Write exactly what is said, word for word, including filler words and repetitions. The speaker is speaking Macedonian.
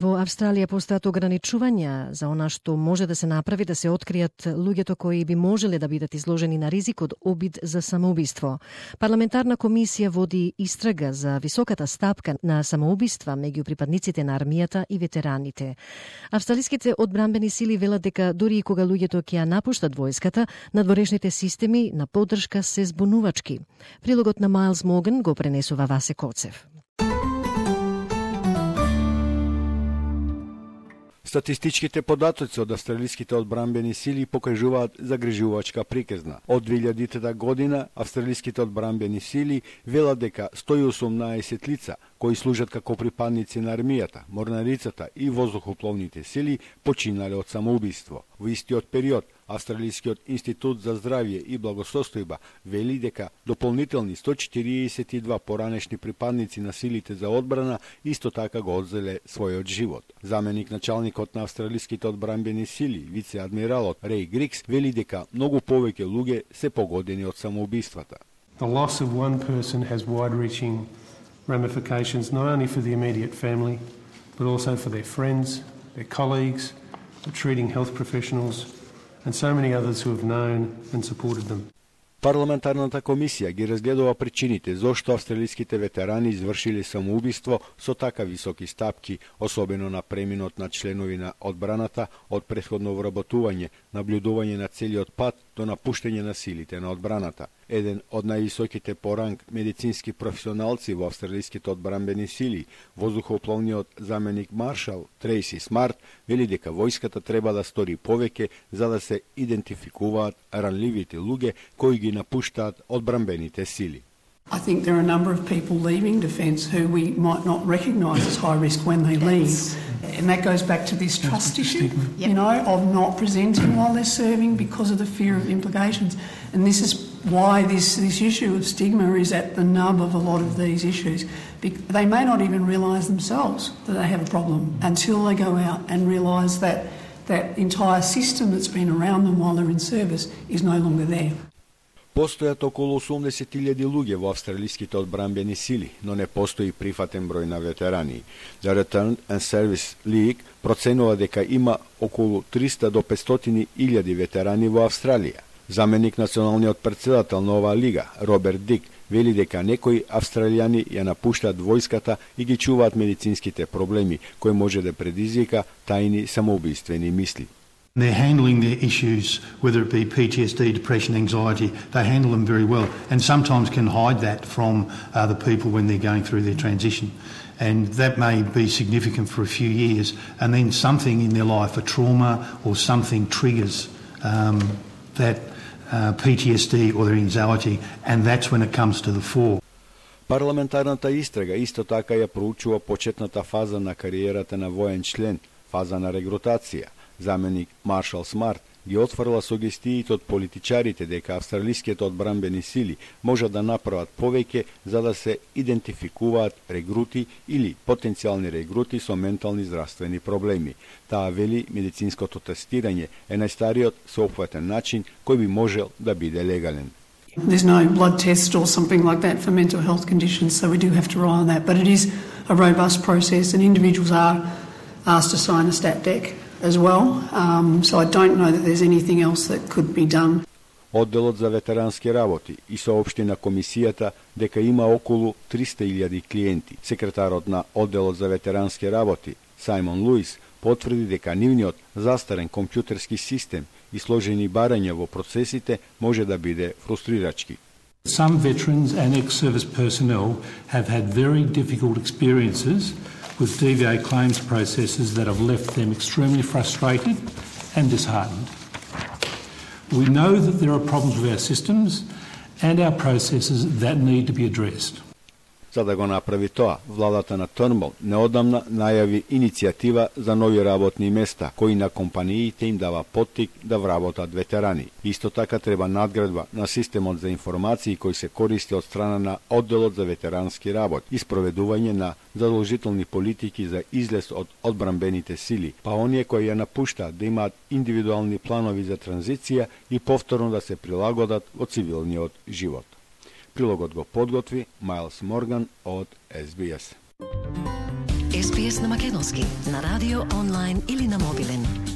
Во Австралија постојат ограничувања за она што може да се направи да се откријат луѓето кои би можеле да бидат изложени на ризик од обид за самоубиство. Парламентарна комисија води истрага за високата стапка на самоубиства меѓу припадниците на армијата и ветераните. Австралиските одбранбени сили велат дека дури и кога луѓето ќе ја напуштат војската, надворешните системи на поддршка се збунувачки. Прилогот на Майлс Морган го пренесува Васе Коцев. Статистичките податоци од австралиските одбранбени сили покажуваат загрижувачка приказна. Од две илјадитата година австралиските одбранбени сили велат дека сто и осумнаесет лица кои служат како припадници на армијата, морнарицата и воздухопловните сили починале од самоубиство. Во истиот период Австралискиот институт за здравје и благосостојба вели дека дополнителни сто четириесет и два поранешни припадници на силите за одбрана исто така го одзеле својот живот. Заменик началникот на австралиските одбранбени сили, вице-адмиралот Рей Грикс, вели дека многу повеќе луѓе се погодени од самоубиствата. The loss of one person has wide-reaching ramifications not only for the immediate family, but also for their friends, their colleagues, the treating health professionals, and so many others who have known and supported them. Парламентарната комисија ги разгледува причините зошто австралиските ветерани извршиле самоубиство со така високи стапки, особено на преминот на членови на одбраната од претходно вработување, наблюдување на целиот пат до напуштање на силите на одбраната. Еден од највисоките по ранг медицински професионалци во австралиските одбранбени сили, воздухопловниот заменик маршал Трейси Смарт, вели дека војската треба да стори повеќе за да се идентификуваат ранливите луѓе кои ги напуштаат одбранбените сили. I think there are a number of people leaving defence who we might not recognise as high risk when they leave. And that goes back to this trust issue, yep. you know, of not presenting while they're serving because of the fear of implications. And this is why this, this issue of stigma is at the nub of a lot of these issues. They may not even realise themselves that they have a problem until they go out and realise that that entire system that's been around them while they're in service is no longer there. Постојат околу осумдесет илјади луѓе во австралиските одбранбени сили, но не постои прифатен број на ветерани. The Return and Service League проценува дека има околу триста до петстотини илјади ветерани во Австралија. Заменик националниот претседател на оваа лига, Роберт Дик, вели дека некои австралијани ја напуштаат војската и ги чуваат медицинските проблеми, кои може да предизвика тајни самоубиствени мисли. They're handling their issues, whether it be P T S D, depression, anxiety, they handle them very well and sometimes can hide that from uh, the people when they're going through their transition. And that may be significant for a few years, and then something in their life, a trauma or something triggers um, that uh, P T S D or their anxiety, and that's when it comes to the fore. Парламентарната истрага исто така ја проучува почетната фаза на кариерата на воен член, фаза на регрутација. Заменик Маршал Смарт ги отфрла сугестиите од политичарите дека австралиските одбранбени сили можат да направат повеќе за да се идентификуваат регрути или потенцијални регрути со ментални здравствени проблеми. Таа вели медицинското тестирање е најстариот соопфатен начин кој би можел да биде легален. There's no blood test or something like that for mental health conditions, so we do have to rely on that. But it is a robust process and individuals are asked to sign a stat dec as well, um, so I don't know that there's anything else that could be done. Одделот за ветерански работи и соопшти на комисијата дека има околу триста илјади клиенти. Секретарот на Одделот за ветерански работи, Сајмон Луис, потврди дека нивниот застарен компјутерски систем и сложени барања во процесите може да биде фрустрирачки. Some veterans and ex-service personnel have had very difficult experiences with D V A claims processes that have left them extremely frustrated and disheartened. We know that there are problems with our systems and our processes that need to be addressed. За да го направи тоа, владата на Тurnbull неодамна најави иницијатива за нови работни места, кои на компаниите им дава поттик да вработат ветерани. Исто така треба надградба на системот за информации кој се користи од страна на Одделот за ветерански работ и спроведување на задолжителни политики за излез од одбранбените сили, па оние кои ја напуштаат да имаат индивидуални планови за транзиција и повторно да се прилагодат во цивилниот живот. Прилогот го подготви Майлс Морган од Ес Би Ес. Ес Би Ес на македонски, на радио, онлайн или на мобилен.